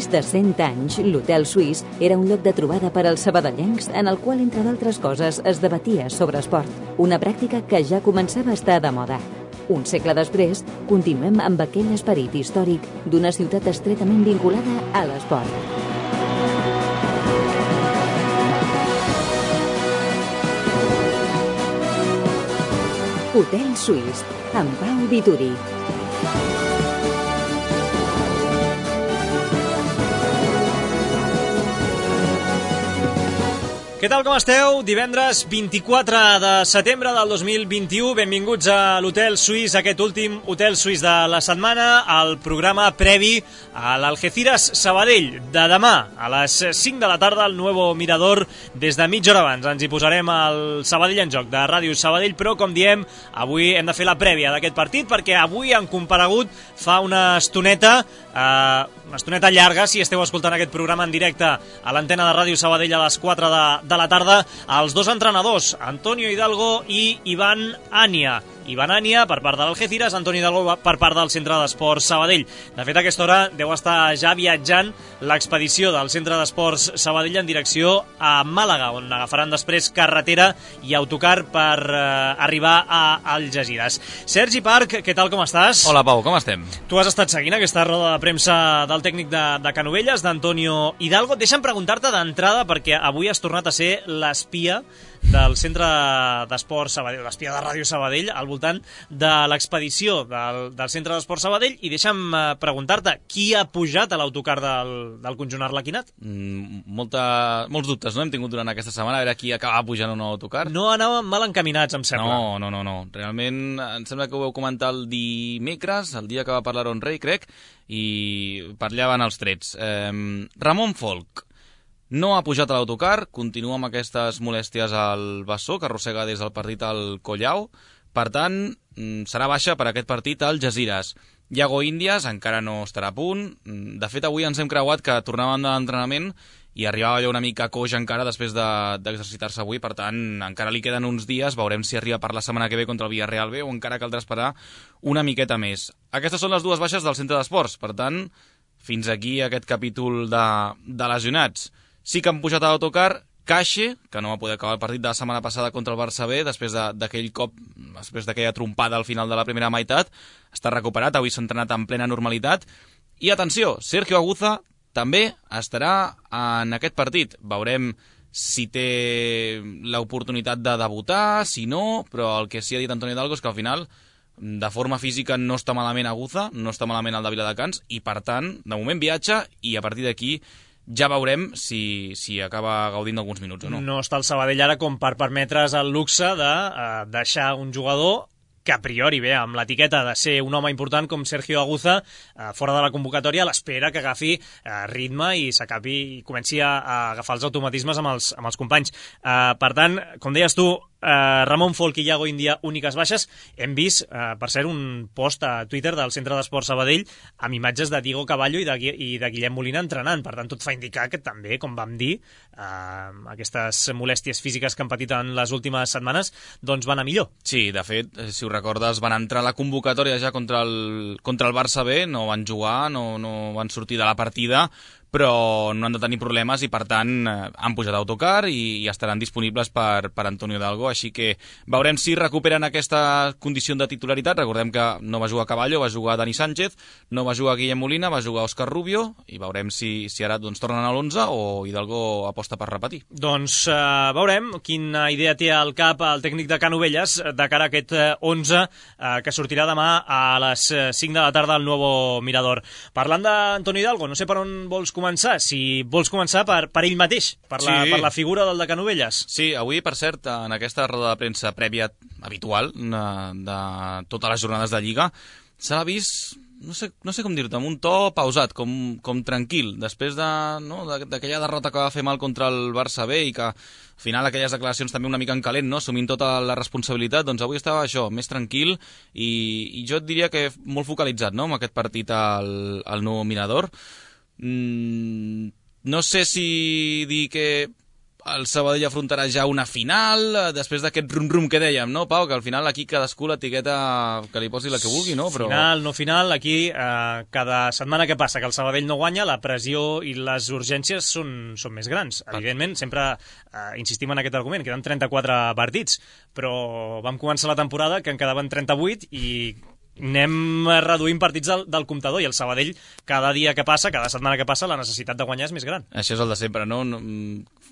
més de 100 anys, l'Hotel Suís era un lloc de trobada per als sabadellencs en el qual, entre d'altres coses, es debatia sobre esport, una pràctica que ja començava a estar de moda. Un segle després, continuem amb aquell esperit històric d'una ciutat estretament vinculada a l'esport. Hotel Suís, amb Pau Vituri. Què tal, com esteu? Divendres 24 de setembre del 2021. Benvinguts a l'Hotel Suís, aquest últim Hotel Suís de la setmana, al programa previ a l'Algeciras Sabadell de demà a les 5 de la tarda al Nuevo Mirador. Des de mitja hora abans ens hi posarem al Sabadell en joc de Ràdio Sabadell, però com diem, avui hem de fer la prèvia d'aquest partit perquè avui han comparegut fa una estoneta llarga, si esteu escoltant aquest programa en directe a l'antena de Ràdio Sabadell a les 4 de la tarda, els dos entrenadors, Antonio Hidalgo i Ivan Ania. Ivan Ania per part de l'Algeciras, Antonio Hidalgo per part del Centre d'Esports Sabadell. De fet, a aquesta hora deu estar ja viatjant l'expedició del Centre d'Esports Sabadell en direcció a Màlaga, on agafaran després carretera i autocar per arribar a Algeciras. Sergi Parc, què tal, com estàs? Hola, Pau, com estem? Tu has estat seguint aquesta roda de premsa del tècnic de Canovelles, d'Antonio Hidalgo. Deixa'm preguntar-te d'entrada, perquè avui has tornat a ser l'espia del Centre d'Esports Sabadell, l'espia de Ràdio Sabadell, al voltant de l'expedició del Centre d'Esports Sabadell, i deixa'm preguntar-te, qui ha pujat a l'autocar del conjunt arlequinat? Molts dubtes, no? Hem tingut durant aquesta setmana, a veure qui acaba pujant un autocar. No anàvem mal encaminats, em sembla. No. Realment, em sembla que ho vau comentar el dimecres, el dia que va parlar on Rei, crec, i parlaven els trets. Ramon Folch no ha pujat a l'autocar, continua amb aquestes molèsties al bessó, que arrossega des del partit al Collau. Per tant, serà baixa per aquest partit al Algeciras. Iago Índias encara no estarà a punt. De fet, avui ens hem creuat que tornàvem de l'entrenament i arribava allò una mica coix encara després d'exercitar-se avui. Per tant, encara li queden uns dies. Veurem si arriba per la setmana que ve contra el Villarreal B o encara caldrà esperar una miqueta més. Aquestes són les dues baixes del Centre d'Esports. Per tant, fins aquí aquest capítol de lesionats. Sí que han pujat a l'autocar Caixe, que no va poder acabar el partit de la setmana passada contra el Barça B, després d'aquell cop, després d'aquella trompada al final de la primera meitat. Està recuperat, avui s'ha entrenat en plena normalitat. I atenció, Sergio Aguza també estarà en aquest partit. Veurem si té l'oportunitat de debutar, si no, però el que sí ha dit Antonio Hidalgo és que al final, de forma física, no està malament Aguza, no està malament el de Viladecans, i per tant, de moment viatja, i a partir d'aquí ja veurem si acaba gaudint d'alguns minuts o no. No està el Sabadell ara com per permetre's el luxe de deixar un jugador que a priori ve amb l'etiqueta de ser un home important com Sergio Aguza fora de la convocatòria a l'espera que agafi ritme i s'acabi i comenci a agafar els automatismes amb els companys. Per tant, com deies tu, Ramon Folch i Iago Índia, úniques baixes. Hem vist, per cert, un post a Twitter del Centre d'Esports Sabadell amb imatges de Diego Cavallo i de Guillem Molina entrenant. Per tant, tot fa indicar que també, com vam dir, aquestes molèsties físiques que han patit en les últimes setmanes doncs van a millor. Sí, de fet, si ho recordes, van entrar a la convocatòria ja contra el Barça B, no van jugar, no van sortir de la partida, però no han de tenir problemes i, per tant, han pujat a autocar i estaran disponibles per Antonio Hidalgo, així que veurem si recuperen aquesta condició de titularitat. Recordem que no va jugar Cavallo, va jugar Dani Sánchez, no va jugar Guillem Molina, va jugar Òscar Rubio, i veurem si ara tornen a l'11 o Hidalgo aposta per repetir. Doncs veurem quina idea té al cap el tècnic de Canovelles de cara a aquest 11 que sortirà demà a les 5 de la tarda al Nuevo Mirador. Parlant d'Antonio Hidalgo, no sé per on vols començar, si vols començar per ell mateix, per la figura del de Canovelles. Sí, avui, per cert, en aquesta roda de premsa prèvia habitual de totes les jornades de Lliga, s'ha vist, no sé com dir-te, amb un to pausat, com tranquil, després d'aquella derrota que va fer mal contra el Barça B i que al final aquelles declaracions també una mica en calent, no? Assumint tota la responsabilitat, doncs avui estava això, més tranquil i jo et diria que molt focalitzat, no?, amb aquest partit al Nou Mirador. No sé si dir que el Sabadell afrontarà ja una final, després d'aquest rum-rum que dèiem, no, Pau? Que al final aquí cadascú l'etiqueta que li posi la que vulgui, no? Però... Final, no final, aquí cada setmana que passa que el Sabadell no guanya, la pressió i les urgències són més grans. Evidentment, sempre insistim en aquest argument, queden 34 partits, però vam començar la temporada que en quedaven 38 i anem reduint partits del comptador, i el Sabadell cada dia que passa, cada setmana que passa, la necessitat de guanyar és més gran. Això és el de sempre, no?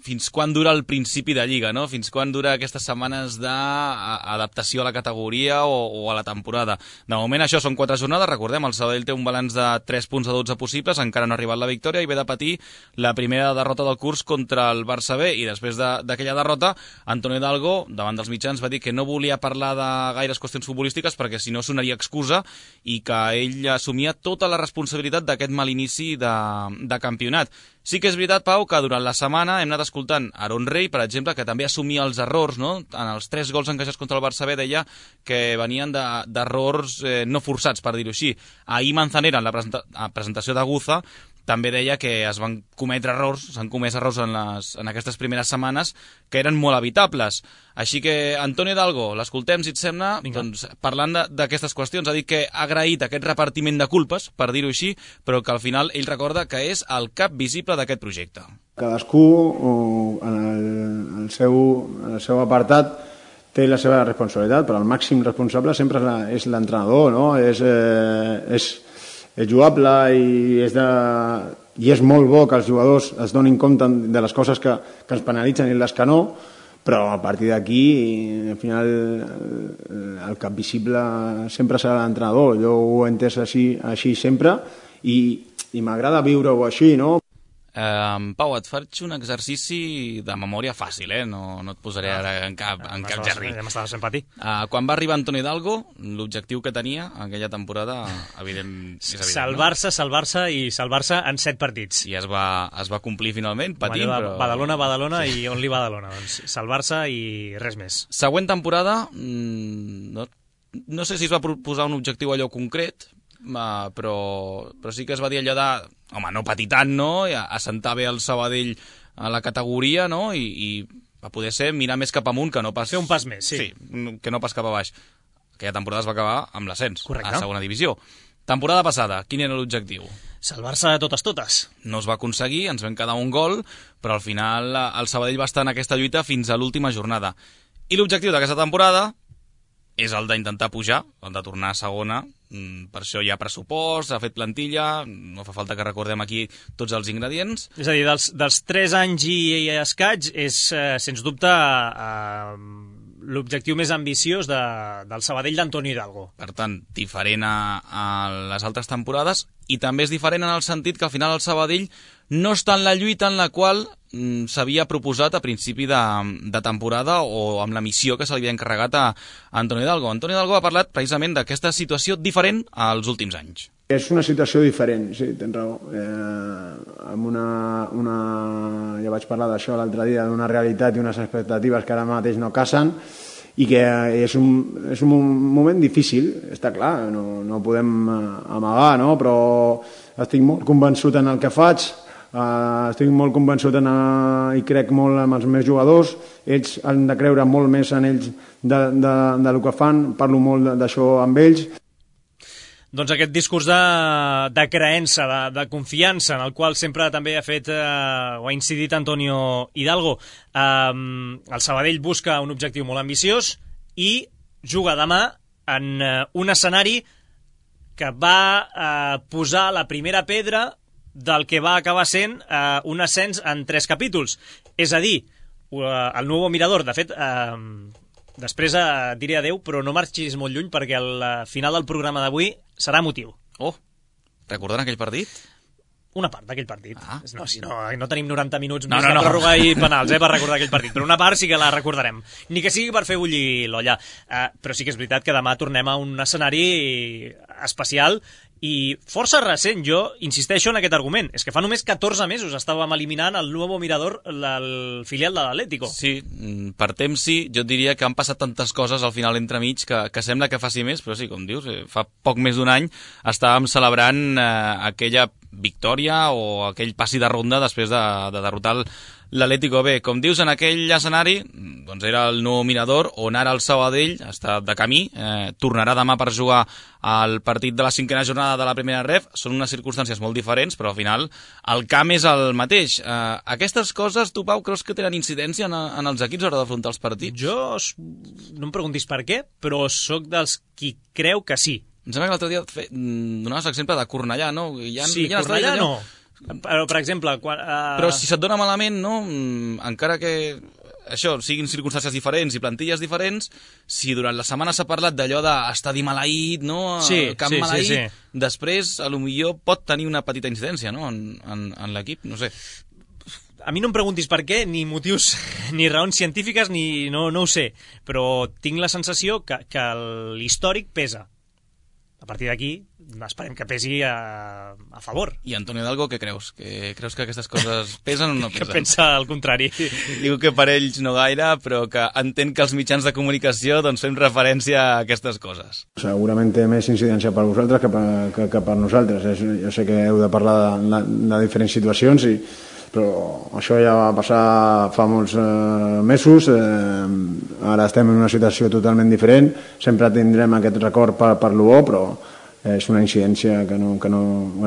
Fins quan dura el principi de Lliga, no? Fins quan dura aquestes setmanes d'adaptació a la categoria o a la temporada? De moment això són 4 jornades, recordem, el Sabadell té un balanç de 3 punts de 12 possibles, encara no ha arribat la victòria i ve de patir la primera derrota del curs contra el Barça B, i després d'aquella derrota, Antonio Hidalgo, davant dels mitjans, va dir que no volia parlar de gaires qüestions futbolístiques perquè si no sonaria excusa, i que ell assumia tota la responsabilitat d'aquest mal inici de campionat. Sí que és veritat, Pau, que durant la setmana hem anat escoltant Aaron Rey, per exemple, que també assumia els errors, no? En els 3 gols encaixats contra el Barça B deia que venien d'errors no forçats, per dir-ho així. Ahir Manzanera, en la presentació de Guza, també deia que es van cometre errors, s'han comès errors en aquestes primeres setmanes que eren molt evitables. Així que, Antonio Hidalgo, l'escoltem, si et sembla, doncs, parlant d'aquestes qüestions. Ha dit que ha agraït aquest repartiment de culpes, per dir-ho així, però que al final ell recorda que és el cap visible d'aquest projecte. Cadascú, en el seu apartat, té la seva responsabilitat, però el màxim responsable sempre és l'entrenador, no? És jugable i és molt bo que els jugadors es donin compte de les coses que ens penalitzen i les que no, però a partir d'aquí, al final, el cap visible sempre serà l'entrenador. Jo ho he entès així sempre i m'agrada viure-ho així, no? Pau, et faig un exercici de memòria fàcil, no et posaré ara en cap jardí. Ja m'estava sent patir. Quan va arribar Antonio Hidalgo, l'objectiu que tenia aquella temporada, evident, és evident. Salvar-se i salvar-se en 7 partits. I es va complir finalment, patint, però... Badalona i on li Badalona. Doncs salvar-se i res més. Següent temporada, no sé si es va proposar un objectiu allò concret, però sí que es va dir allò de, home, no patir tant, no? I assentar bé el Sabadell a la categoria, no? I va poder ser mirar més cap amunt que no pas... Fer un pas més, sí. Sí, que no pas cap a baix. Aquella temporada es va acabar amb l'ascens a segona divisió. Temporada passada, quin era l'objectiu? Salvar-se de totes. No es va aconseguir, ens vam quedar un gol, però al final el Sabadell va estar en aquesta lluita fins a l'última jornada. I l'objectiu d'aquesta temporada és el d'intentar pujar, el de tornar a segona. Per això hi ha pressupost, s'ha fet plantilla, no fa falta que recordem aquí tots els ingredients. És a dir, dels 3 anys i escaig és, sens dubte, l'objectiu més ambiciós del Sabadell d'Antonio Hidalgo. Per tant, diferent a les altres temporades, i també és diferent en el sentit que al final el Sabadell no està en la lluita en la qual s'havia proposat a principi de temporada o amb la missió que se li havia encarregat a Antonio Hidalgo. Antonio Hidalgo ha parlat precisament d'aquesta situació diferent als últims anys. És una situació diferent, sí, tens raó. Ja vaig parlar d'això l'altre dia, d'una realitat i unes expectatives que ara mateix no casen, i que és un moment difícil, està clar, no podem amagar, no? Però estic molt convençut en el que faig, estic molt convençut i crec molt en els meus jugadors, ells han de creure molt més en ells del que fan, parlo molt d'això amb ells. Doncs aquest discurs de creença, de confiança, en el qual sempre també ha fet o ha incidit Antonio Hidalgo. El Sabadell busca un objectiu molt ambiciós i juga demà en un escenari que va posar la primera pedra del que va acabar sent un ascens en 3 capítols. És a dir, el Nuevo Mirador, de fet... Després diré adeu, però no marxis molt lluny perquè el final del programa d'avui serà emotiu. Oh, recordant aquell partit? Una part d'aquell partit. No, si no tenim 90 minuts més de pròrroga i penals per recordar aquell partit, però una part sí que la recordarem. Ni que sigui per fer bullir l'olla. Però sí que és veritat que demà tornem a un escenari especial i força recent. Jo insisteixo en aquest argument. És que fa només 14 mesos estàvem eliminant el Nuevo Mirador, el filial de l'Atlético. Sí, per temps sí. Jo diria que han passat tantes coses al final entremig que sembla que faci més, però sí, com dius, fa poc més d'un any estàvem celebrant aquella victòria o aquell passi de ronda després de derrotar l'Atlético B. Com dius, en aquell escenari doncs era el nou Mirador, on ara el Sabadell està de camí, tornarà demà per jugar al partit de la 5ª jornada de la primera ref. Són unes circumstàncies molt diferents, però al final el camp és el mateix. Aquestes coses, tu, Pau, creus que tenen incidència en els equips a l'hora d'afrontar els partits? Jo, no em preguntis per què, però sóc dels qui creu que sí. Em sembla que l'altre dia donaves l'exemple de Cornellà, no? Sí, Cornellà no. Però, per exemple... Però si se't dona malament, no? Encara que això siguin circumstàncies diferents i plantilles diferents, si durant la setmana s'ha parlat d'allò d'estadi maleït, no? Camp maleït, després, potser pot tenir una petita incidència, no? En l'equip, no sé. A mi no em preguntis per què, ni motius, ni raons científiques, ni no ho sé, però tinc la sensació que l'històric pesa. A partir d'aquí, esperem que pesi a favor. I Antonio Hidalgo, què creus? Creus que aquestes coses pesen o no pesen? Que pensa el contrari. Diu que per ells no gaire, però que entén que els mitjans de comunicació doncs fem referència a aquestes coses. Segurament té més incidència per vosaltres que per nosaltres. Jo sé que heu de parlar de diferents situacions, però això ja va passar fa molts mesos. Ara estem en una situació totalment diferent. Sempre tindrem aquest record per lo bo, però és una incidència que no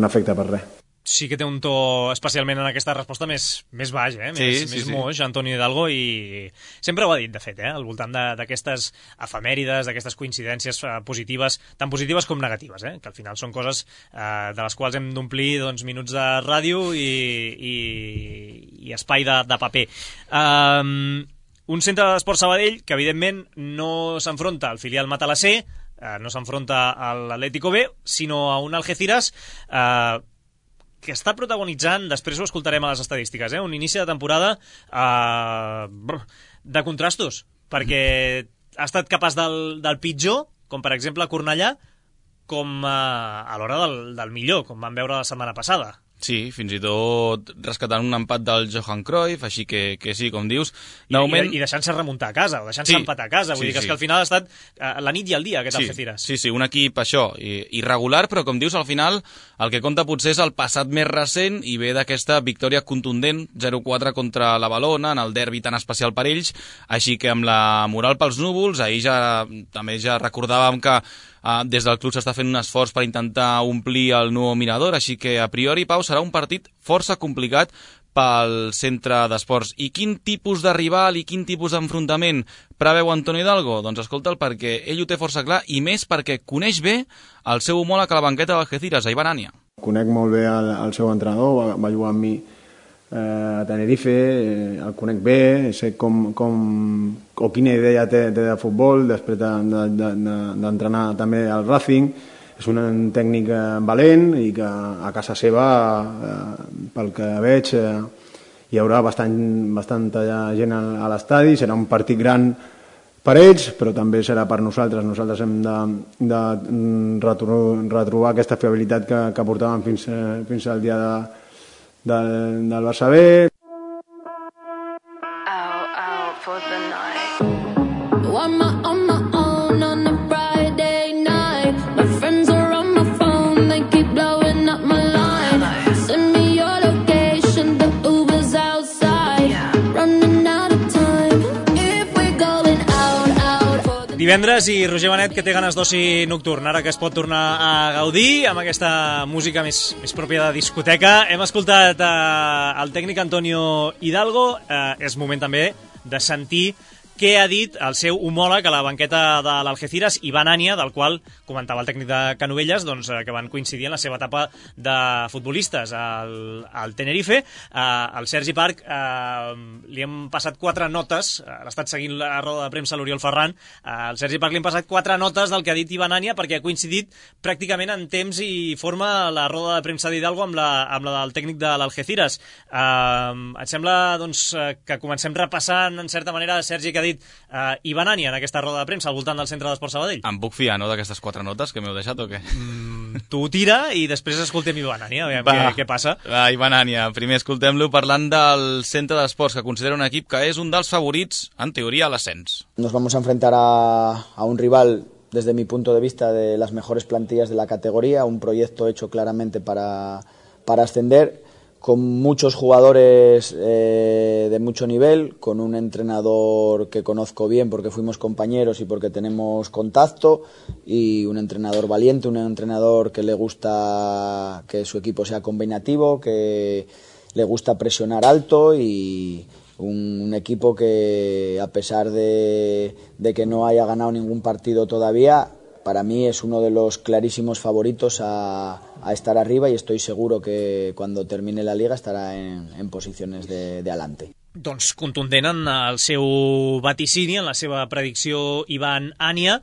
afecta per res. Sí que té un to, especialment en aquesta resposta, més baix, més moix, Antonio Hidalgo, i sempre ho ha dit, de fet, al voltant d'aquestes efemèrides, d'aquestes coincidències positives, tan positives com negatives, que al final són coses de les quals hem d'omplir minuts de ràdio i espai de paper. Un centre d'esport Sabadell que, evidentment, no s'enfronta al filial Matalassé, no s'enfronta a l'Atlético B, sinó a un Algeciras que està protagonitzant, després ho escoltarem a les estadístiques, un inici de temporada de contrastos, perquè ha estat capaç del pitjor, com per exemple Cornellà, com a l'hora del millor, com vam veure la setmana passada. Sí, fins i tot rescatant un empat del Johan Cruyff, així que sí, com dius. I deixant-se remuntar a casa, o deixant-se empatar a casa. Vull dir que és que al final ha estat la nit i el dia, aquest Algeciras. Sí, un equip, això, irregular, però com dius, al final el que compta potser és el passat més recent i ve d'aquesta victòria contundent, 0-4 contra la Valona, en el derbi tan especial per ells, així que amb la moral pels núvols, ahir també recordàvem que des del club s'està fent un esforç per intentar omplir el nou Mirador, així que a priori, Pau, serà un partit força complicat pel centre d'esports. I quin tipus de rival i quin tipus d'enfrontament preveu Antonio Hidalgo? Doncs escolta'l, perquè ell ho té força clar, i més perquè coneix bé el seu homòleg a la banqueta d'Algeciras, a Iván Ania. Conec molt bé el seu entrenador, va jugar amb mi a Tenerife, el conec bé, sé o quina idea té de futbol després d'entrenar també al Racing. És un tècnic valent i que a casa seva, pel que veig, hi haurà bastanta gent a l'estadi. Serà un partit gran per ells, però també serà per nosaltres. Nosaltres hem de retrobar aquesta fiabilitat que portàvem fins al dia del Barça B. Divendres i Roger Benet, que té ganes d'oci nocturn, ara que es pot tornar a gaudir amb aquesta música més pròpia de discoteca. Hem escoltat el tècnic Antonio Hidalgo. És moment també de sentir què ha dit el seu homòleg a la banqueta de l'Algeciras, Iván Ania, del qual comentava el tècnic de Canovelles, que van coincidir en la seva etapa de futbolistes al Tenerife. Al Sergi Parc li hem passat 4 notes, l'ha estat seguint la roda de premsa a l'Oriol Ferran, al Sergi Parc li hem passat 4 notes del que ha dit Iván Ania, perquè ha coincidit pràcticament en temps i forma la roda de premsa d'Hidalgo amb la del tècnic de l'Algeciras. Et sembla que comencem repassant, en certa manera, Sergi, que ha dit Iván Ania en aquesta roda de premsa al voltant del centre d'Esport Sabadell? Em puc fiar, no, d'aquestes 4 notes que m'heu deixat o què? Tu tira i després escoltem Iván Ania, aviam què pasa. Va, Iván Ania, primer escoltem-lo parlant del centre d'esports, que considera un equip que és un dels favorits, en teoria, a l'ascens. Nos vamos a enfrentar a un rival, desde mi punto de vista, de las mejores plantillas de la categoría, un proyecto hecho claramente para ascender, con muchos jugadores de mucho nivel, con un entrenador que conozco bien porque fuimos compañeros y porque tenemos contacto, y un entrenador valiente, un entrenador que le gusta que su equipo sea combinativo, que le gusta presionar alto, y un equipo que, a pesar de que no haya ganado ningún partido todavía, para mí es uno de los clarísimos favoritos a estar arriba, y estoy seguro que cuando termine la Liga estará en posiciones de adelante. Doncs contundent en el seu vaticini, en la seva predicció, Ivan Ania,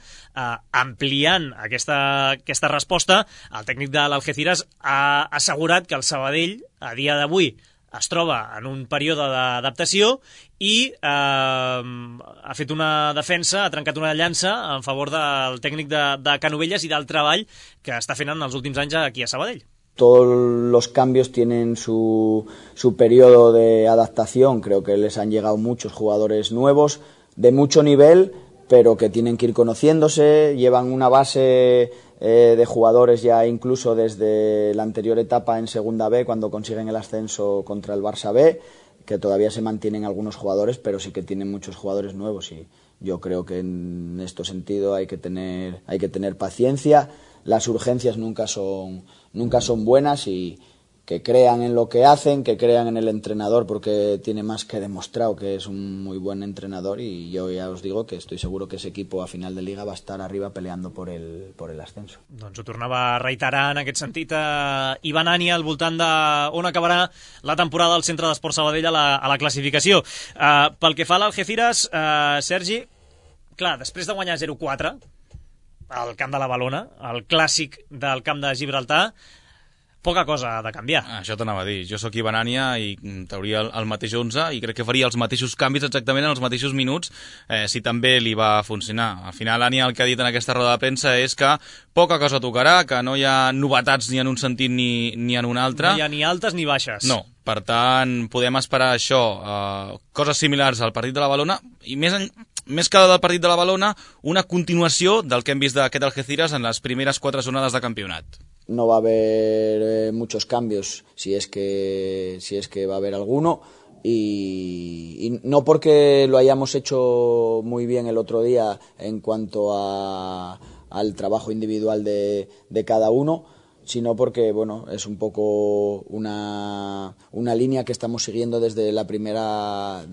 ampliant aquesta resposta. El tècnic de l'Algeciras ha assegurat que el Sabadell, a dia d'avui, es troba en un període d'adaptació i ha fet una defensa, ha trencat una llança en favor del tècnic de Canovelles i del treball que està fent en els últims anys aquí a Sabadell. Todos los cambios tienen su periodo de adaptación. Creo que les han llegado muchos jugadores nuevos de mucho nivel, pero que tienen que ir conociéndose. Llevan una base de jugadores ya incluso desde la anterior etapa en Segunda B, cuando consiguen el ascenso contra el Barça B, que todavía se mantienen algunos jugadores, pero sí que tienen muchos jugadores nuevos, y yo creo que en este sentido hay que tener paciencia. Las urgencias nunca son buenas, y que crean en lo que hacen, que crean en el entrenador, porque tiene más que demostrado que es un muy buen entrenador, y yo ya os digo que estoy seguro que ese equipo a final de Liga va a estar arriba peleando por el ascenso. Doncs ho tornava a reiterar en aquest sentit Ivan Ania al voltant d'on acabarà la temporada al Centre d'Esports Sabadell a la classificació. Pel que fa a l'Algeciras, Sergi, clar, després de guanyar 0-4 al camp de la Balona, el clàssic del camp de Gibraltar, poca cosa ha de canviar. Això t'anava a dir. Jo sóc Ivan Ania i trauria el mateix 11 i crec que faria els mateixos canvis exactament en els mateixos minuts si també li va funcionar. Al final, Ania el que ha dit en aquesta roda de premsa és que poca cosa tocarà, que no hi ha novetats ni en un sentit ni en un altre. No hi ha ni altes ni baixes. No. Per tant, podem esperar això, coses similars al partit de la Balona, i més que del partit de la Balona, una continuació del que hem vist d'aquest Algeciras en les primeres 4 jornades de campionat. No va a haber muchos cambios, si es que va a haber alguno, y no porque lo hayamos hecho muy bien el otro día en cuanto al trabajo individual de cada uno, sino porque bueno, es un poco una línea que estamos siguiendo desde la primera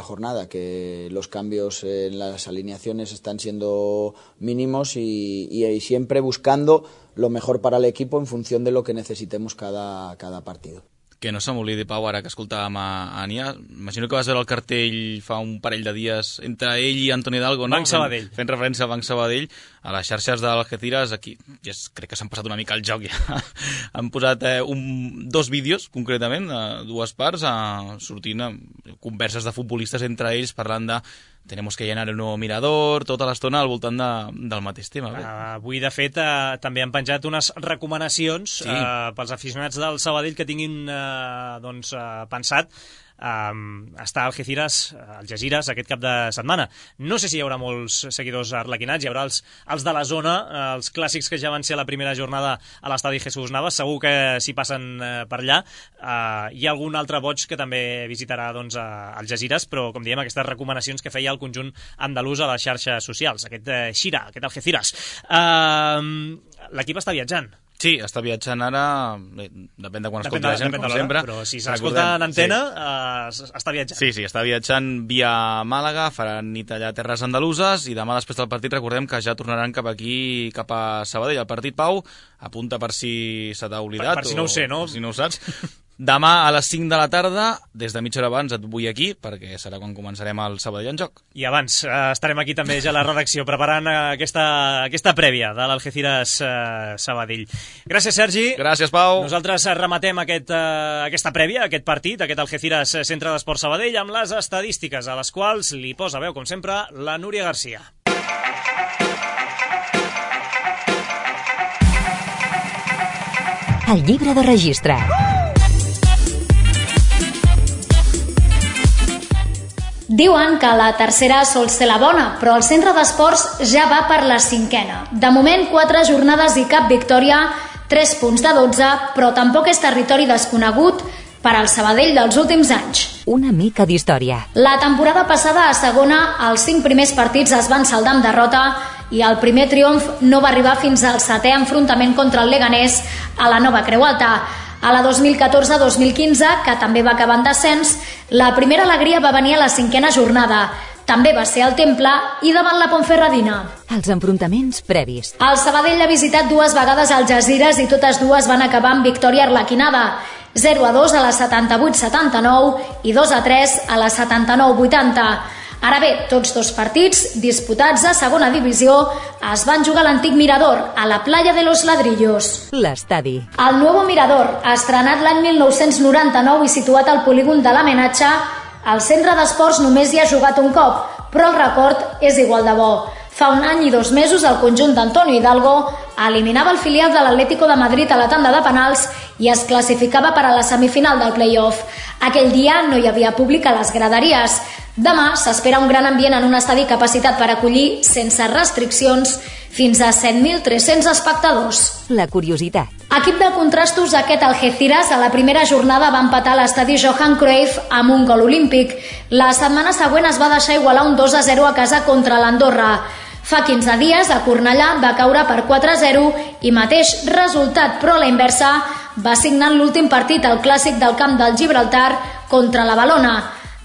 jornada, que los cambios en las alineaciones están siendo mínimos y siempre buscando lo mejor para el equipo en función de lo que necesitemos cada partido. Que no se m'oblidi, Pau, ara que escoltàvem a Ania, imagino que vas veure el cartell fa un parell de dies entre ell i Antoni Hidalgo, no? Banc Sabadell. Fent referència al Banc Sabadell, a les xarxes de l'Algeciras, aquí crec que s'han passat una mica el joc ja. Han posat 2 vídeos, concretament, 2 parts, sortint converses de futbolistes entre ells parlant de tenemos que llenar el nuevo mirador, tota l'estona al voltant del mateix tema. Avui, de fet, també han penjat unes recomanacions pels aficionats del Sabadell que tinguin pensat està al Algeciras aquest cap de setmana. No sé si hi haurà molts seguidors arlequinats, hi haurà els de la zona, els clàssics que ja van ser a la primera jornada a l'estadi Jesús Navas, segur que s'hi passen per allà. Hi ha algun altre boig que també visitarà Algeciras, però com diem, aquestes recomanacions que feia el conjunt andalús a les xarxes socials, aquest aquest Algeciras. L'equip està viatjant. Sí, està viatjant ara, depèn de quan escolti la gent, com sempre. Però si s'escolta en antena, està viatjant. Sí, està viatjant via Màlaga, faran nit allà a terres andaluses, i demà després del partit recordem que ja tornaran cap aquí, cap a Sabadell. El partit, Pau, apunta per si se t'ha oblidat. Per si no ho sé, no? Per si no ho saps. Demà a les 5 de la tarda, des de mitja hora abans et vull aquí, perquè serà quan començarem el Sabadell en joc. I abans estarem aquí també ja a la redacció, preparant aquesta prèvia de l'Algeciras Sabadell. Gràcies, Sergi. Gràcies, Pau. Nosaltres rematem aquesta prèvia, aquest partit, aquest Algeciras Centre d'Esports Sabadell, amb les estadístiques a les quals li posa veu, com sempre, la Núria Garcia. El llibre de registre. Diuen que la tercera sol ser la bona, però el centre d'esports ja va per la 5a. De moment, 4 jornades i cap victòria, 3 punts de 12, però tampoc és territori desconegut per al Sabadell dels últims anys. Una mica d'història. La temporada passada a segona, els 5 primers partits es van saldar amb derrota i el primer triomf no va arribar fins al 7è enfrontament contra el Leganés a la Nova Creu Alta. A la 2014-2015, que també va acabar en descens, la primera alegria va venir a la 5a jornada. També va ser al Temple i davant la Ponferradina. Els enfrontaments previs. El Sabadell ha visitat 2 vegades al Algesires i totes 2 van acabar amb victòria arlequinada. 0-2 a la 78-79 i 2-3 a la 79-80. Ara bé, tots 2 partits, disputats a segona divisió, es van jugar a l'antic Mirador, a la playa de los Ladrillos. L'estadi. El Nuevo Mirador, estrenat l'any 1999 i situat al polígon de l'Amenatge, al centre d'esports només hi ha jugat un cop, però el record és igual de bo. Fa 1 any i 2 mesos el conjunt d'Antonio Hidalgo eliminava el filial de l'Atlético de Madrid a la tanda de penals i es classificava per a la semifinal del play-off. Aquell dia no hi havia públic a les graderies. Demà s'espera un gran ambient en un estadi capacitat per acollir, sense restriccions, fins a 7.300 espectadors. La curiositat. Equip de contrastos, aquest Algeciras a la primera jornada va empatar a l'estadi Johan Cruyff amb un gol olímpic. La setmana següent es va deixar igualar un 2-0 a casa contra l'Andorra. Fa 15 dies, a Cornellà va caure per 4-0 i mateix resultat, però a la inversa, va signar l'últim partit al clàssic del camp del Gibraltar contra la Valona.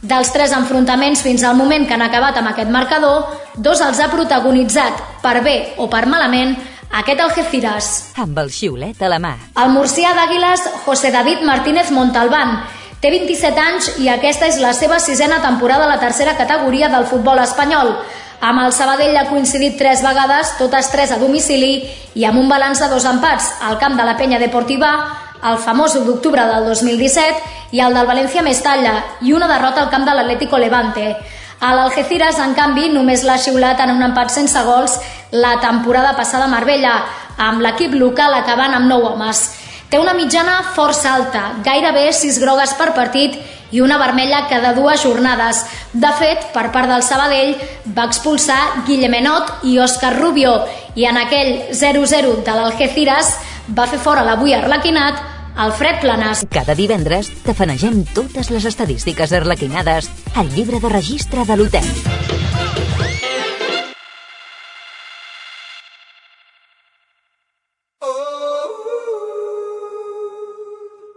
Dels 3 enfrontaments fins al moment que han acabat amb aquest marcador, 2 els ha protagonitzat, per bé o per malament, aquest Algeciras. Amb el xiulet a la mà. El murcià d'Àguiles, José David Martínez Montalbán, té 27 anys i aquesta és la seva 6a temporada a la tercera categoria del futbol espanyol. Amb el Sabadell ha coincidit 3 vegades, totes 3 a domicili, i amb un balanç de 2 empats al camp de la Penya Deportiva, el famós 1 d'octubre del 2017 i el del València Mestalla, i una derrota al camp de l'Atlético Levante. A l'Algeciras, en canvi, només l'ha xiulat en un empat sense gols la temporada passada a Marbella, amb l'equip local acabant amb 9 homes. Té una mitjana força alta, gairebé 6 grogues per partit i una vermella cada 2 jornades. De fet, per part del Sabadell, va expulsar Guillemenot i Òscar Rubio, i en aquell 0-0 de l'Algeciras va fer fora l'avui arlequinat Alfred Planas. Cada divendres tafanegem totes les estadístiques arlequinades al llibre de registre de l'hotel.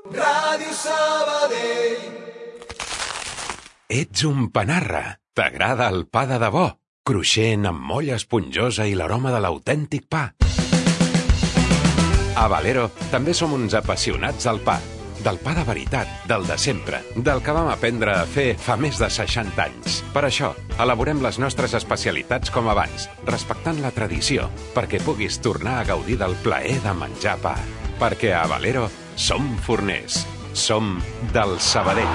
Ràdio Sabadell. Ets un panarra. T'agrada el pa de debò, cruixent amb molla esponjosa i l'aroma de l'autèntic pa. A Valero també som uns apassionats del pa. Del pa de veritat, del de sempre, del que vam aprendre a fer fa més de 60 anys. Per això, elaborem les nostres especialitats com abans, respectant la tradició, perquè puguis tornar a gaudir del plaer de menjar pa. Perquè a Valero som forners. Som del Sabadell.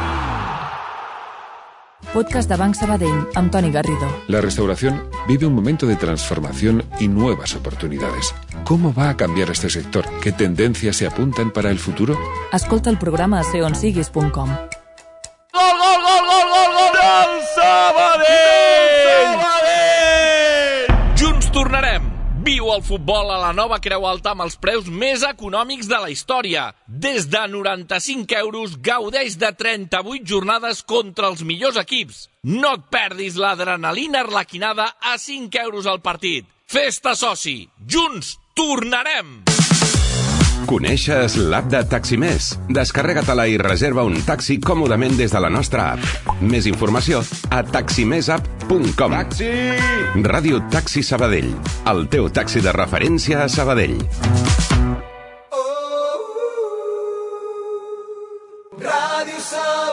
Podcast de Banc Sabadell, amb Toni Garrido. La restauración vive un momento de transformación y nuevas oportunidades. ¿Cómo va a cambiar este sector? ¿Qué tendencias se apuntan para el futuro? Escolta el programa a seonsiguis.com. Gol, gol, gol, gol, gol, gol del Sabadell! Sabadell! Junts tornarem. Viu el futbol a la Nova Creu Alta amb els preus més econòmics de la història. Des de 95 euros gaudeix de 38 jornades contra els millors equips. No et perdis l'adrenalina arlequinada a 5 euros al partit. Festa soci. Junts tornarem! Coneixes l'app de Taximés? Descarrega-te-la i reserva un taxi còmodament des de la nostra app. Més informació a taximesapp.com. Taxi! Ràdio Taxi Sabadell, el teu taxi de referència a Sabadell. Ràdio Sabadell.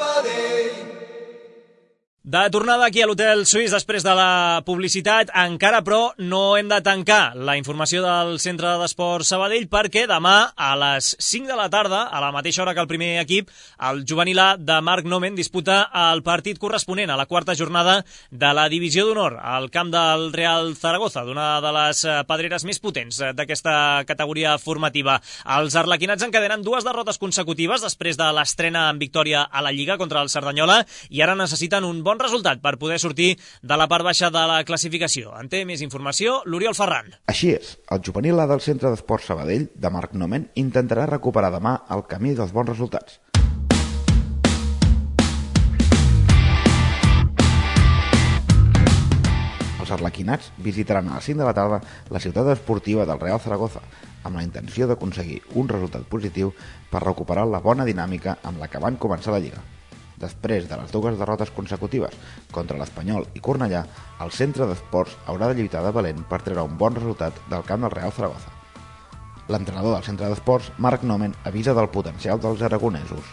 De tornada aquí a l'Hotel Suís després de la publicitat, encara però no hem de tancar la informació del Centre d'Esports Sabadell perquè demà a les 5 de la tarda, a la mateixa hora que el primer equip, el juvenil A de Marc Nomen disputa el partit corresponent a la 4a jornada de la Divisió d'Honor al camp del Real Zaragoza, d'una de les pedreres més potents d'aquesta categoria formativa. Els arlequinats encadenen 2 derrotes consecutives després de l'estrena en victòria a la Lliga contra el Cerdanyola i ara necessiten un bon resultat per poder sortir de la part baixa de la classificació. En té més informació l'Oriol Ferran. Així és, el juvenil A del Centre d'Esports Sabadell, de Marc Nomen, intentarà recuperar demà el camí dels bons resultats. Els arlequinats visitaran a les 5 de la tarda la ciutat esportiva del Real Zaragoza, amb la intenció d'aconseguir un resultat positiu per recuperar la bona dinàmica amb la que van començar la Lliga. Després de les 2 derrotes consecutives contra l'Espanyol i Cornellà, el centre d'esports haurà de lluitar de valent per treure un bon resultat del camp del Real Zaragoza. L'entrenador del centre d'esports, Marc Nomen, avisa del potencial dels aragonesos.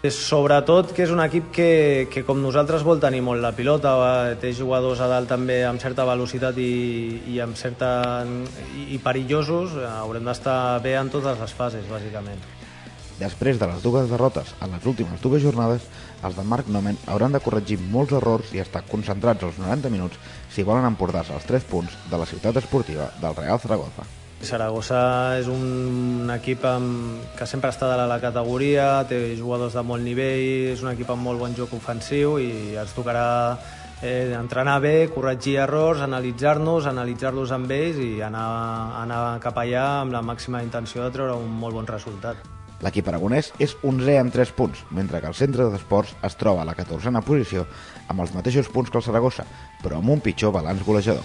Sobretot que és un equip que com nosaltres vol tenir molt la pilota, té jugadors a dalt també amb certa velocitat i perillosos, haurem d'estar bé en totes les fases, bàsicament. Després de les 2 derrotes en les últimes 2 jornades, els de Marc Nomen hauran de corregir molts errors i estar concentrats els 90 minuts si volen emportar-se els 3 punts de la ciutat esportiva del Real Zaragoza. Saragossa és un equip que sempre està dalt a la categoria, té jugadors de molt nivell, és un equip amb molt bon joc ofensiu i ens tocarà entrenar bé, corregir errors, analitzar-los amb ells i anar cap allà amb la màxima intenció de treure un molt bon resultat. L'equip aragonès és 11è amb 3 punts, mentre que el centre d'esports es troba a la 14a posició amb els mateixos punts que el Saragossa, però amb un pitjor balanç golejador.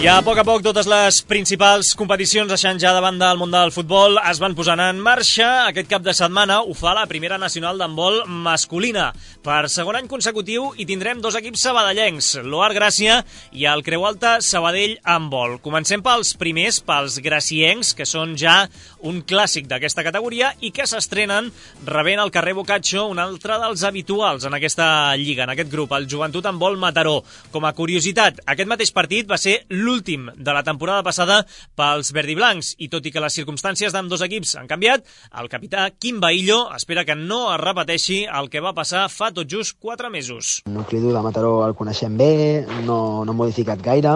I a poc totes les principals competicions, deixant ja de banda el món del futbol, es van posant en marxa. Aquest cap de setmana ho fa la primera nacional d'handbol masculina. Per segon any consecutiu hi tindrem 2 equips sabadellencs, l'Oar Gràcia i el Creu Alta Sabadell Handbol. Comencem pels primers, pels graciencs, que són ja un clàssic d'aquesta categoria i que s'estrenen rebent al carrer Boccaccio un altre dels habituals en aquesta lliga, en aquest grup, el Joventut Handbol Mataró. Com a curiositat, aquest mateix partit va ser l'últim de la temporada passada pels verdiblancs i tot i que les circumstàncies d'ambdós equips han canviat, el capità Quim Baillo espera que no es repeteixi el que va passar fa tot just 4 mesos. El nucli dur de Mataró el coneixem bé, no ha modificat gaire,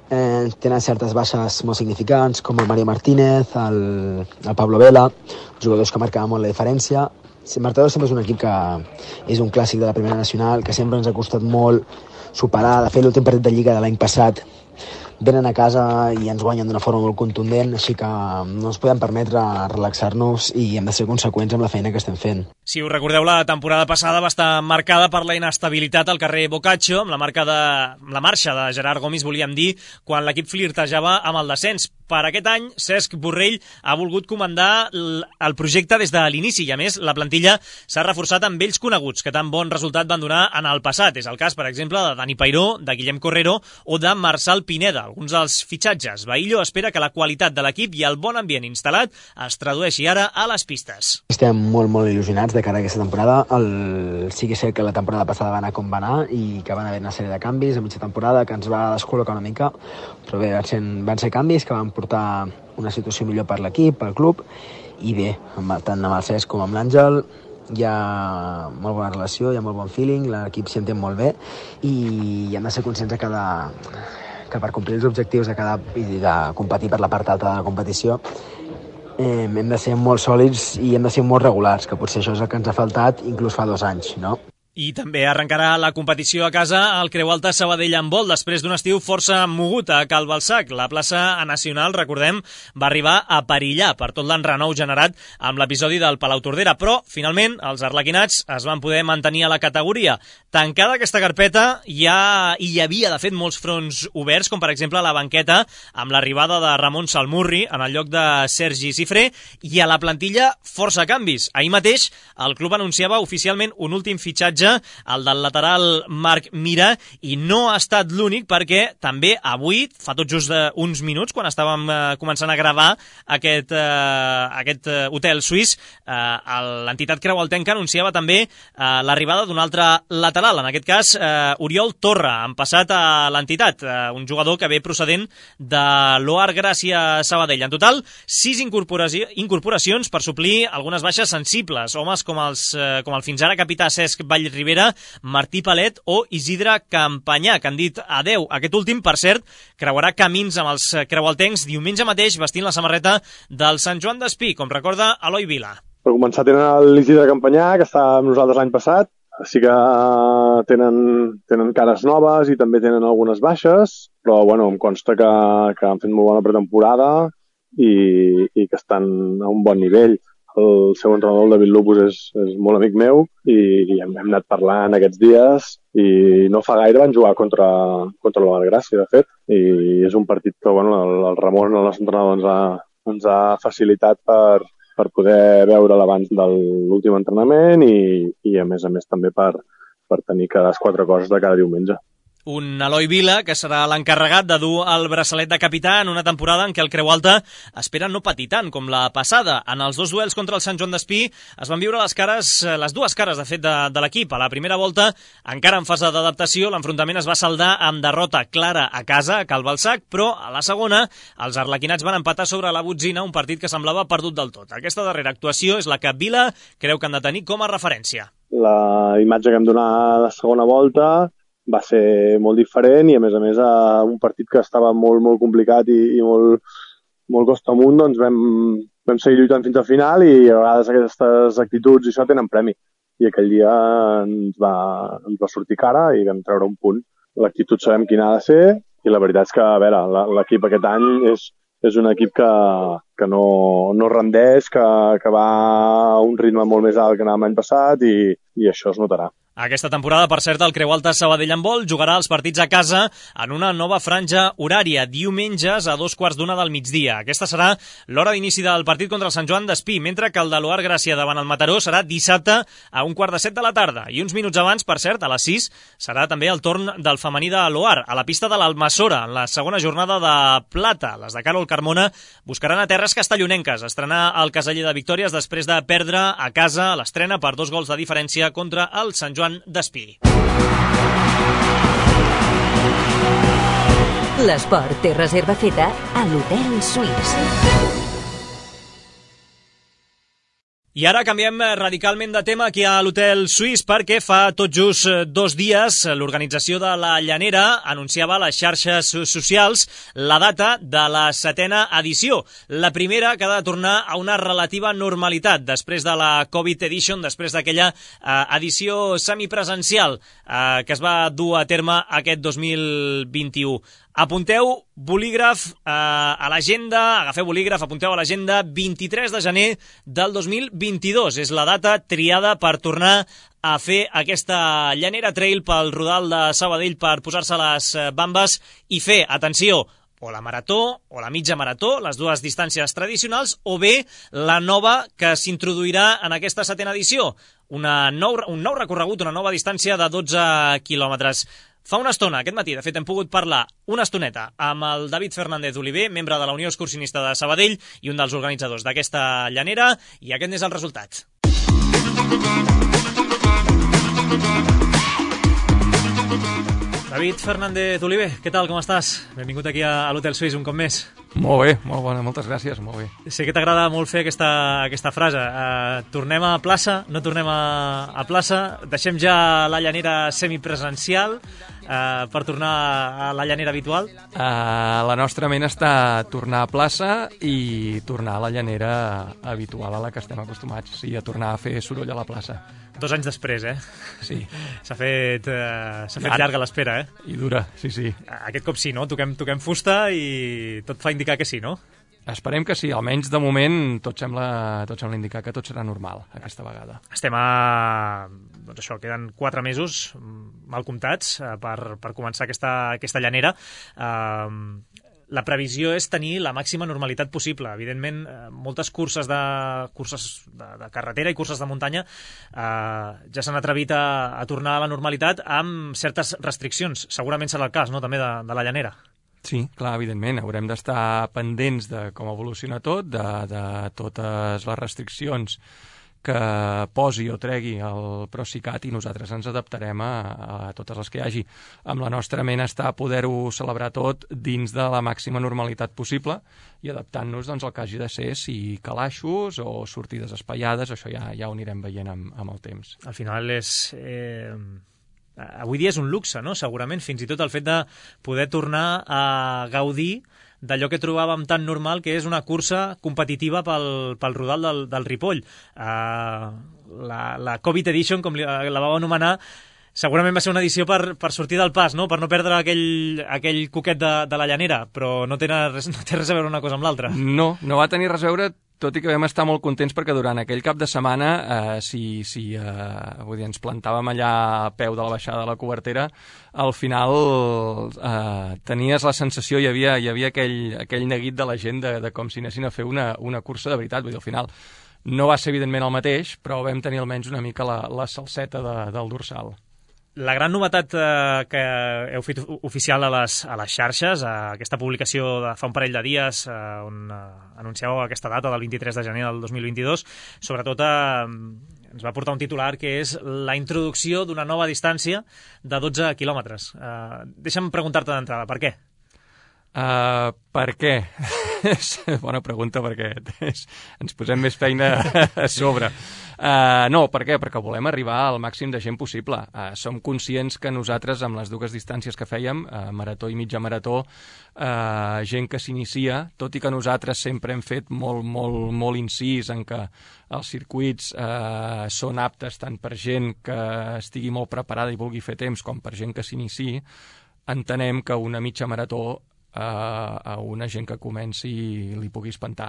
tenen certes baixes molt significants com el Mario Martínez, el Pablo Vela, jugadors que marcaven molt la diferència. Mataró sempre és un equip que és un clàssic de la primera nacional, que sempre ens ha costat molt superar. De fet, l'últim partit de Lliga de l'any passat venen a casa i ens guanyen d'una forma molt contundent, així que no ens podem permetre relaxar-nos i hem de ser conseqüents amb la feina que estem fent. Si us recordeu, la temporada passada va estar marcada per la inestabilitat al carrer Boccaccio, amb la marxa de Gerard Gomis, volíem dir, quan l'equip flirtejava amb el descens. Per aquest any, Cesc Borrell ha volgut comandar el projecte des de l'inici i, a més, la plantilla s'ha reforçat amb vells coneguts que tan bon resultat van donar en el passat. És el cas, per exemple, de Dani Peiró, de Guillem Correro o de Marçal Pineda, alguns dels fitxatges. Baillo espera que la qualitat de l'equip i el bon ambient instal·lat es tradueixi ara a les pistes. Estem molt il·lusionats de cara a aquesta temporada. Sí que és cert que la temporada passada va anar com va anar i que van haver una sèrie de canvis a mitja temporada que ens va descol·locar una mica, però bé, van ser canvis que van portar una situació millor per l'equip, pel club, i bé, tant amb el Cesc com amb l'Àngel hi ha molt bona relació, hi ha molt bon feeling, l'equip s'hi entén molt bé i hem de ser conscients que per complir els objectius i de competir per la part alta de la competició hem de ser molt sòlids i hem de ser molt regulars, que potser això és el que ens ha faltat inclús fa 2 anys, no? I també arrencarà la competició a casa al Creu Alta Sabadell Handbol després d'un estiu força mogut a Cal Balsac. La plaça nacional, recordem, va arribar a perillar per tot l'enrenou generat amb l'episodi del Palau Tordera, però finalment els arlequinats es van poder mantenir a la categoria. Tancada aquesta carpeta, hi havia de fet molts fronts oberts, com per exemple a la banqueta amb l'arribada de Ramon Salmurri en el lloc de Sergi Cifré, i a la plantilla força canvis. Ahir mateix el club anunciava oficialment un últim fitxatge, el del lateral Marc Mira, i no ha estat l'únic perquè també avui, fa tot just uns minuts, quan estàvem començant a gravar aquest hotel suís, l'entitat creualtenca anunciava també l'arribada d'un altre lateral, en aquest cas Oriol Torra, han passat a l'entitat, un jugador que ve procedent de l'Oar Gràcia Sabadell. En total, 6 incorporacions per suplir algunes baixes sensibles, homes com el fins ara capità Cesc Vallribera, Martí Palet o Isidre Campanyà, que han dit adeu. Aquest últim, per cert, creuarà camins amb els creualtencs diumenge mateix vestint la samarreta del Sant Joan d'Espí, com recorda Eloi Vila. Per començar tenen l'Isidre Campanyà, que estava amb nosaltres l'any passat, sí que tenen cares noves i també tenen algunes baixes, però bueno, em consta que han fet molt bona pretemporada i que estan a un bon nivell. El seu entrenador, el David Lupus, és molt amic meu i hem anat parlant aquests dies i no fa gaire van jugar contra la Valgràcia, de fet, i és un partit que el Ramon, el nostre entrenador, ens ha facilitat per poder veure'l abans de l'últim entrenament i a més també per tenir cada 4 coses de cada diumenge. Un Eloi Vila, que serà l'encarregat de dur el braçalet de capità en una temporada en què el Creu Alta espera no patir tant com la passada. En els 2 duels contra el Sant Joan d'Espí es van viure les dues cares, de fet, de l'equip. A la primera volta, encara en fase d'adaptació, l'enfrontament es va saldar amb derrota clara a casa, a Cal Balsac, però a la segona, els arlequinats van empatar sobre la botzina, un partit que semblava perdut del tot. Aquesta darrera actuació és la que Vila creu que han de tenir com a referència. La imatge que hem donat a la segona volta va ser molt diferent i, a més, un partit que estava molt, molt complicat i molt, molt costa amunt, doncs vam seguir lluitant fins al final i a vegades aquestes actituds i això tenen premi. I aquell dia ens va sortir cara i vam treure un punt. L'actitud sabem quina ha de ser i la veritat és que, a veure, l'equip aquest any és un equip que no rendeix, que va a un ritme molt més alt que l'any passat i això es notarà. Aquesta temporada, per cert, el Creu Alta Sabadell Handbol jugarà els partits a casa en una nova franja horària, diumenges a 2:15 del migdia. Aquesta serà l'hora d'inici del partit contra el Sant Joan d'Espí, mentre que el de l'Oar Gràcia davant el Mataró serà dissabte a 1:45 de la tarda. I uns minuts abans, per cert, a les 6, serà també el torn del femení de l'Oar, a la pista de l'Almassora, en la segona jornada de plata. Les de Carol Carmona buscaran a terres castellonenques estrenar el Caseller de Victòries després de perdre a casa l'estrena per 2 gols de diferència contra el Sant Joan d'Espí. L'esport té reserva feta a l'Hotel Suís. I ara canviem radicalment de tema aquí a l'Hotel Suís perquè fa tot just 2 dies l'organització de la Llanera anunciava a les xarxes socials la data de la 7a edició. La primera que ha de tornar a una relativa normalitat després de la Covid Edition, després d'aquella edició semipresencial que es va dur a terme aquest 2021. Apunteu bolígraf a l'agenda, agafeu bolígraf, apunteu a l'agenda 23 de gener del 2022. És la data triada per tornar a fer aquesta Llanera Trail pel Rodal de Sabadell per posar-se les bambes i fer, atenció, o la marató o la mitja marató, les dues distàncies tradicionals, o bé la nova que s'introduirà en aquesta 7a edició, un nou recorregut, una nova distància de 12 quilòmetres. Fa una estona, aquest matí, de fet, hem pogut parlar una estoneta amb el David Fernández Oliver, membre de la Unió Excursionista de Sabadell i un dels organitzadors d'aquesta llanera, i aquest n'és el resultat. David Fernández Oliver, què tal, com estàs? Benvingut aquí a l'Hotel Suís un cop més. Molt bé, molt bona, moltes gràcies, molt bé. Sé que t'agrada molt fer aquesta frase. Tornem a plaça, no tornem a plaça, deixem ja la llanera semipresencial per tornar a la llanera habitual? La nostra ment està tornar a plaça i tornar a la llanera habitual a la que estem acostumats, sí, a tornar a fer soroll a la plaça. 2 anys després, Sí. S'ha fet llarga l'espera, I dura, sí. Aquest cop sí, no? Toquem fusta i tot fa indicar que sí, no? Esperem que sí, almenys de moment tot sembla indicar que tot serà normal aquesta vegada. Estem doncs això, queden 4 mesos mal comptats per començar aquesta llanera. La previsió és tenir la màxima normalitat possible. Evidentment, moltes curses de carretera i curses de muntanya ja s'han atrevit a tornar a la normalitat amb certes restriccions. Segurament serà el cas, no?, també de la llanera. Sí, clar, evidentment. Haurem d'estar pendents de com evoluciona tot, de totes les restriccions que posi o tregui el Procicat i nosaltres ens adaptarem a totes les que hi hagi. Amb la nostra ment està poder-ho celebrar tot dins de la màxima normalitat possible i adaptant-nos doncs, al que hagi de ser, si calaixos o sortides espaiades, això ja ho anirem veient amb el temps. Al final és... avui dia és un luxe, no? Segurament, fins i tot el fet de poder tornar a gaudir d'allò que trobàvem tan normal, que és una cursa competitiva pel Rodal del Ripoll. La Covid Edition, com la vau anomenar, Segurament va ser una edició per sortir del pas, no? Per no perdre aquell coquet de la Llanera, però no té res a veure una cosa amb l'altra. No va tenir res a veure, tot i que vam estar molt contents perquè durant aquell cap de setmana, vull dir, ens plantàvem allà a peu de la baixada de la Cobertera, al final tenies la sensació, hi havia aquell neguit de la gent de com si anessin a fer una cursa de veritat, vull dir, al final no va ser evidentment el mateix, però vam tenir almenys una mica la salseta del dorsal. La gran novetat que heu fet oficial a les xarxes, aquesta publicació de fa un parell de dies on anunciàveu aquesta data del 23 de gener del 2022, sobretot ens va portar un titular que és la introducció d'una nova distància de 12 quilòmetres. Deixa'm preguntar-te d'entrada, per què? Per què? Bona pregunta, perquè ens posem més feina a sobre. No, per què? Perquè volem arribar al màxim de gent possible. Som conscients que nosaltres, amb les dues distàncies que fèiem, marató i mitja marató, gent que s'inicia, tot i que nosaltres sempre hem fet molt incís en que els circuits són aptes tant per gent que estigui molt preparada i vulgui fer temps com per gent que s'iniciï, entenem que una mitja marató a una gent que comenci li pugui espantar.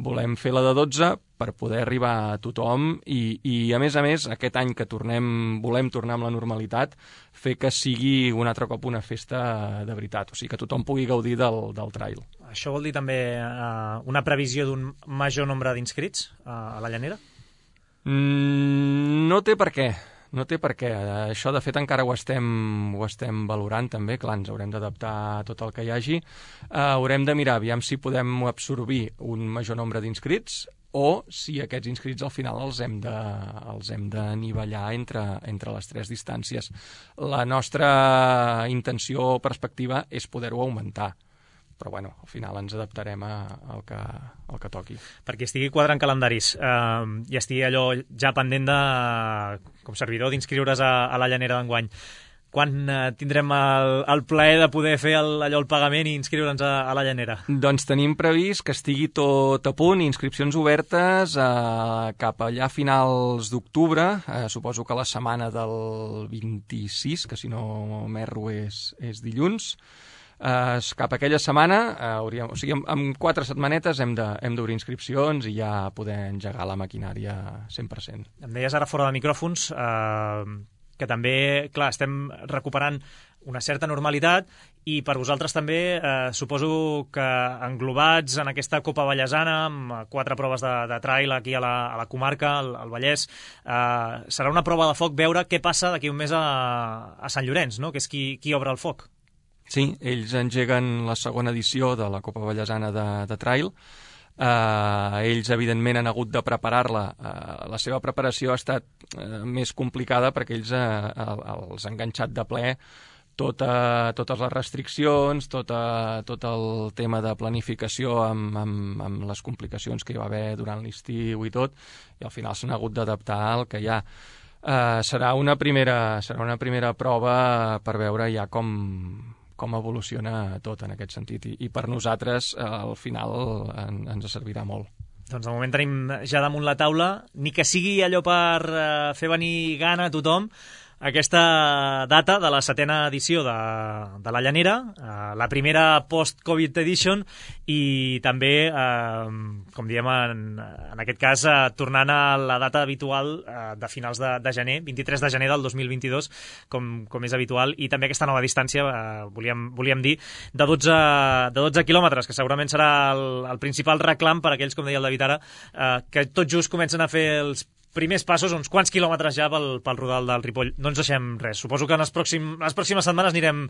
Volem fer la de 12 per poder arribar a tothom i a més, aquest any que volem tornar amb la normalitat, fer que sigui un altre cop una festa de veritat, o sigui, que tothom pugui gaudir del trail. Això vol dir també una previsió d'un major nombre d'inscrits a la Llanera? No té per què. No té per què. Això, de fet, encara ho estem valorant, també. Clar, ens haurem d'adaptar a tot el que hi hagi. Haurem de mirar, aviam si podem absorbir un major nombre d'inscrits o si aquests inscrits al final els hem d'anivellar entre les tres distàncies. La nostra intenció o perspectiva és poder-ho augmentar. Però, bueno, al final ens adaptarem al que toqui. Perquè estigui quadrant calendaris i estigui allò ja pendent com servidor d'inscriure's a la Llanera d'enguany. Quan tindrem el plaer de poder fer el pagament i inscriure'ns a la Llanera? Doncs tenim previst que estigui tot a punt, inscripcions obertes cap allà a finals d'octubre, suposo que la setmana del 26, que si no m'erro és dilluns. Cap a aquella setmana, o sigui, en 4 setmanetes hem d'obrir inscripcions i ja poder engegar la maquinària 100%. Em deies ara fora de micròfons que també, clar, estem recuperant una certa normalitat i per vosaltres també suposo que englobats en aquesta Copa Vallesana amb 4 proves de trail aquí a la comarca, al Vallès, serà una prova de foc veure què passa d'aquí un mes a Sant Llorenç, no? Que és qui obre el foc. Sí, ells engeguen la segona edició de la Copa Vallesana de trail. Ells, evidentment, han hagut de preparar-la. La seva preparació ha estat més complicada perquè ells els han enganxat de ple totes les restriccions, tot el tema de planificació amb les complicacions que hi va haver durant l'estiu i tot, i al final s'han hagut d'adaptar al que hi ha. Serà una primera prova per veure ja com evoluciona tot en aquest sentit, i per nosaltres al final ens servirà molt. Doncs de moment tenim ja damunt la taula, ni que sigui allò per fer venir gana a tothom, aquesta data de la 7ª edició de la Llanera, la primera post-Covid edition, i també, com diem en aquest cas, tornant a la data habitual de finals de gener, 23 de gener del 2022, com és habitual, i també aquesta nova distància, volíem dir, de 12 quilòmetres, que segurament serà el principal reclam per aquells, com deia el David ara, que tot just comencen a fer els primers passos, uns quants quilòmetres ja pel Rodal del Ripoll. No ens deixem res. Suposo que en les pròximes setmanes anirem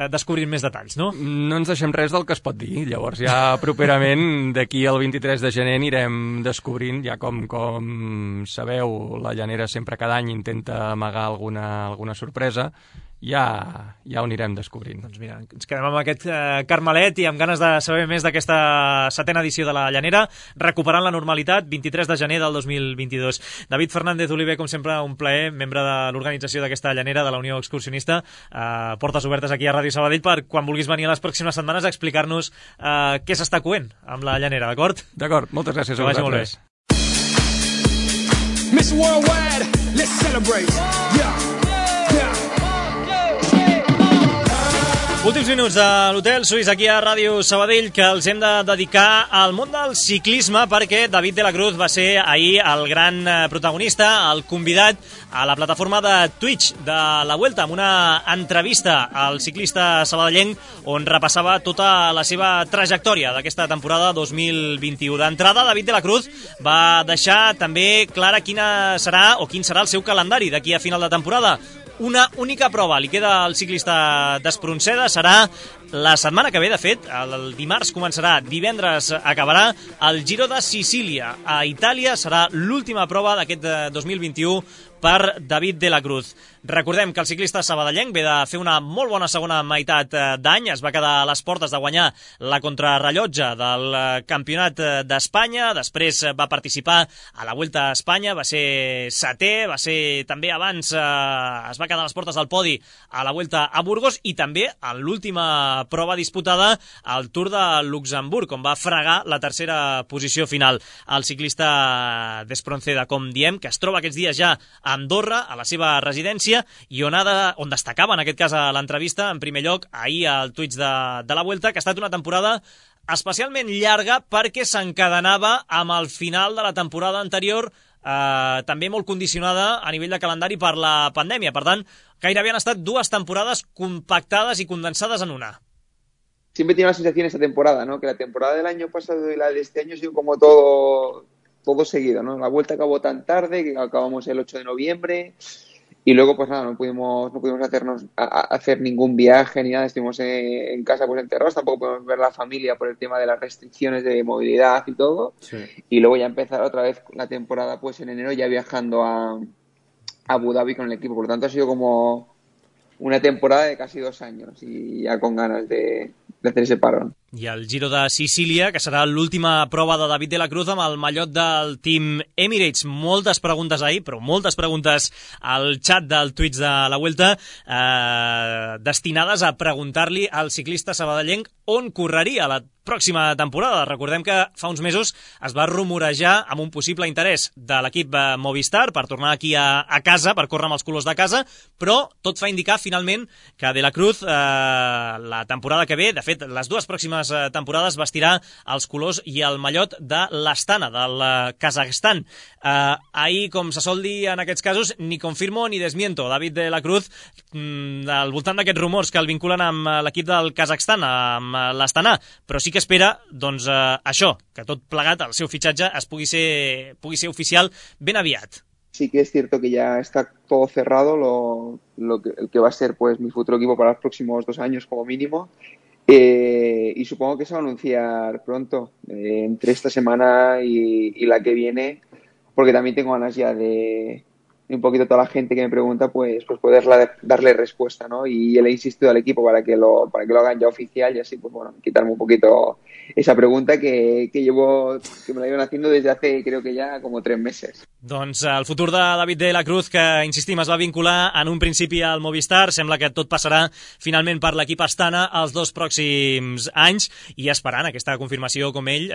descobrint més detalls, no? No ens deixem res del que es pot dir. Llavors ja properament, d'aquí al 23 de gener, anirem descobrint, ja com sabeu, la Llanera sempre cada any intenta amagar alguna sorpresa. Ja ho anirem descobrint. Doncs mira, ens quedem amb aquest carmelet i amb ganes de saber més d'aquesta 7ª edició de la Llanera, recuperant la normalitat, 23 de gener del 2022. David Fernández Oliver, com sempre, un plaer, membre de l'organització d'aquesta Llanera, de la Unió Excursionista. Portes obertes aquí a Ràdio Sabadell per quan vulguis venir a les pròximes setmanes a explicar-nos què s'està coent amb la Llanera, d'acord? D'acord, moltes gràcies a vosaltres. Miss Worldwide, let's celebrate. Yeah. Últims minuts de l'Hotel Suís aquí a Ràdio Sabadell, que els hem de dedicar al món del ciclisme, perquè David de la Cruz va ser ahir el gran protagonista, el convidat a la plataforma de Twitch de la Vuelta, amb una entrevista al ciclista sabadellenc on repassava tota la seva trajectòria d'aquesta temporada 2021. D'entrada, David de la Cruz va deixar també clara quin serà el seu calendari d'aquí a final de temporada. Una única prova li queda al ciclista d'Espronceda, serà la setmana que ve, de fet, el dimarts començarà, divendres acabarà, el Giro de Sicília a Itàlia, serà l'última prova d'aquest 2021 per David de la Cruz. Recordem que el ciclista sabadellenc ve de fer una molt bona segona meitat d'any, es va quedar a les portes de guanyar la contrarrellotge del Campionat d'Espanya, després va participar a la Vuelta a Espanya, va ser setè, va ser també abans, es va quedar a les portes del podi a la Vuelta a Burgos i també en l'última prova disputada al Tour de Luxemburg, on va fregar la tercera posició final. El ciclista d'Espronceda, com diem, que es troba aquests dies ja a Andorra, a la seva residència, i on destacava, en aquest cas a l'entrevista, en primer lloc, ahir al Twitch de la Vuelta, que ha estat una temporada especialment llarga perquè s'encadenava amb el final de la temporada anterior, també molt condicionada a nivell de calendari per la pandèmia. Per tant, gairebé han estat 2 temporades compactades i condensades en una. Siempre tiene la sensación esta temporada, ¿no? Que la temporada del año pasado y la de este año ha sido como todo seguido, ¿no? La Vuelta acabó tan tarde que acabamos el 8 de noviembre y luego pues nada, no pudimos hacer ningún viaje ni nada, estuvimos en casa pues encerrados, tampoco podemos ver la familia por el tema de las restricciones de movilidad y todo, sí. Y luego ya empezar otra vez la temporada pues en enero ya viajando a Abu Dhabi con el equipo, por lo tanto ha sido como una temporada de casi 2 años y ya con ganas de hacer ese parón. I el Giro de Sicília, que serà l'última prova de David de la Cruz amb el mallot del Team Emirates. Moltes preguntes ahir, però moltes preguntes al xat del Twitch de la Vuelta destinades a preguntar-li al ciclista sabadellenc on correria la pròxima temporada. Recordem que fa uns mesos es va rumorejar amb un possible interès de l'equip Movistar per tornar aquí a casa, per córrer amb els colors de casa, però tot fa indicar finalment que de la Cruz la temporada que ve, de fet les 2 pròximes temporades vestirà els colors i el mallot de l'Astana, del Kazakhstan. Ahir, com se sol dir en aquests casos, ni confirmo ni desmiento David de la Cruz al voltant d'aquests rumors que el vinculen amb l'equip del Kazakhstan, amb l'Astana, però sí que espera, doncs, això, que tot plegat, el seu fitxatge pugui ser oficial ben aviat. Sí que es cierto que ya está todo cerrado, el que va a ser pues mi futuro equipo para los próximos 2 años como mínimo. Y supongo que se va a anunciar pronto, entre esta semana y la que viene, porque también tengo ganas ya de un poquito toda la gente que me pregunta, pues poder darle respuesta, ¿no? Y le he insistido al equipo para que lo hagan ya oficial y así, pues bueno, quitarme un poquito esa pregunta que me la iban haciendo desde hace, creo que ya como 3 meses. Doncs el futur de David de la Cruz, que, insistim, es va vincular en un principi al Movistar, sembla que tot passarà finalment per l'equip Astana els 2 pròxims anys i esperant aquesta confirmació, com ell,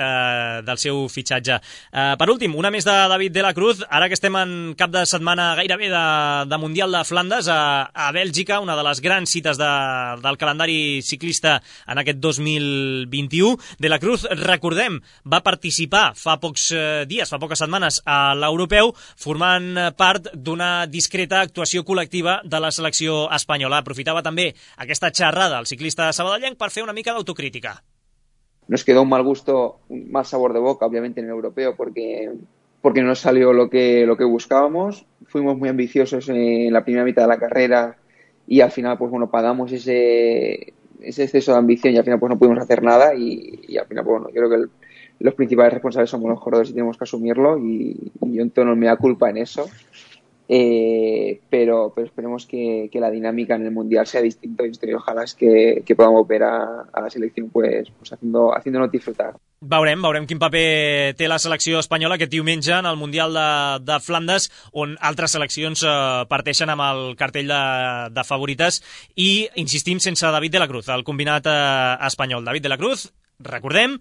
del seu fitxatge. Per últim, una més de David de la Cruz, ara que estem en cap de setmana gairebé de Mundial de Flandes a Bèlgica, una de les grans cites del calendari ciclista en aquest 2021. De la Cruz, recordem, va participar fa pocs dies, fa poques setmanes a l'Europeu, formant part d'una discreta actuació col·lectiva de la selecció espanyola. Aprofitava també aquesta xerrada al ciclista sabadellenc per fer una mica d'autocrítica. Nos quedó un mal sabor de boca, obviamente, en el Europeo, porque no salió lo que buscábamos. Fuimos muy ambiciosos en la primera mitad de la carrera y al final, pues bueno, pagamos ese exceso de ambición y al final pues no pudimos hacer nada y al final, pues bueno, yo creo que los principales responsables somos los corredores y tenemos que asumirlo y yo en no me da culpa en eso. Pero esperemos que la dinámica en el Mundial sea distinta y ojalá es que podamos ver a la selección pues haciéndonos disfrutar. Veurem quin paper té la selecció espanyola aquest diumenge en el Mundial de Flandes, on altres seleccions parteixen amb el cartell de favorites i, insistim, sense David de la Cruz, el combinat espanyol. David de la Cruz, recordem,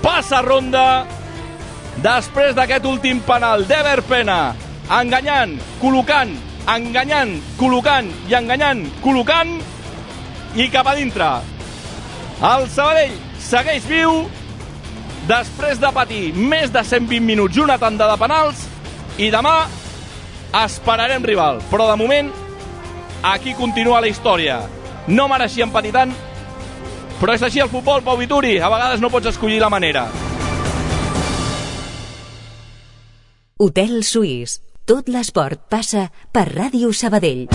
passa ronda després d'aquest últim penal d'Ever Pena, enganyant, col·locant i enganyant, col·locant, i cap a dintre. El Sabadell segueix viu després de patir més de 120 minuts i una tanda de penals, i demà esperarem rival, però de moment aquí continua la història. No mereixien patir tant, però és així el futbol, Pau Vituri, a vegades no pots escollir la manera. Hotel Suís. Tot l'esport passa per Ràdio Sabadell.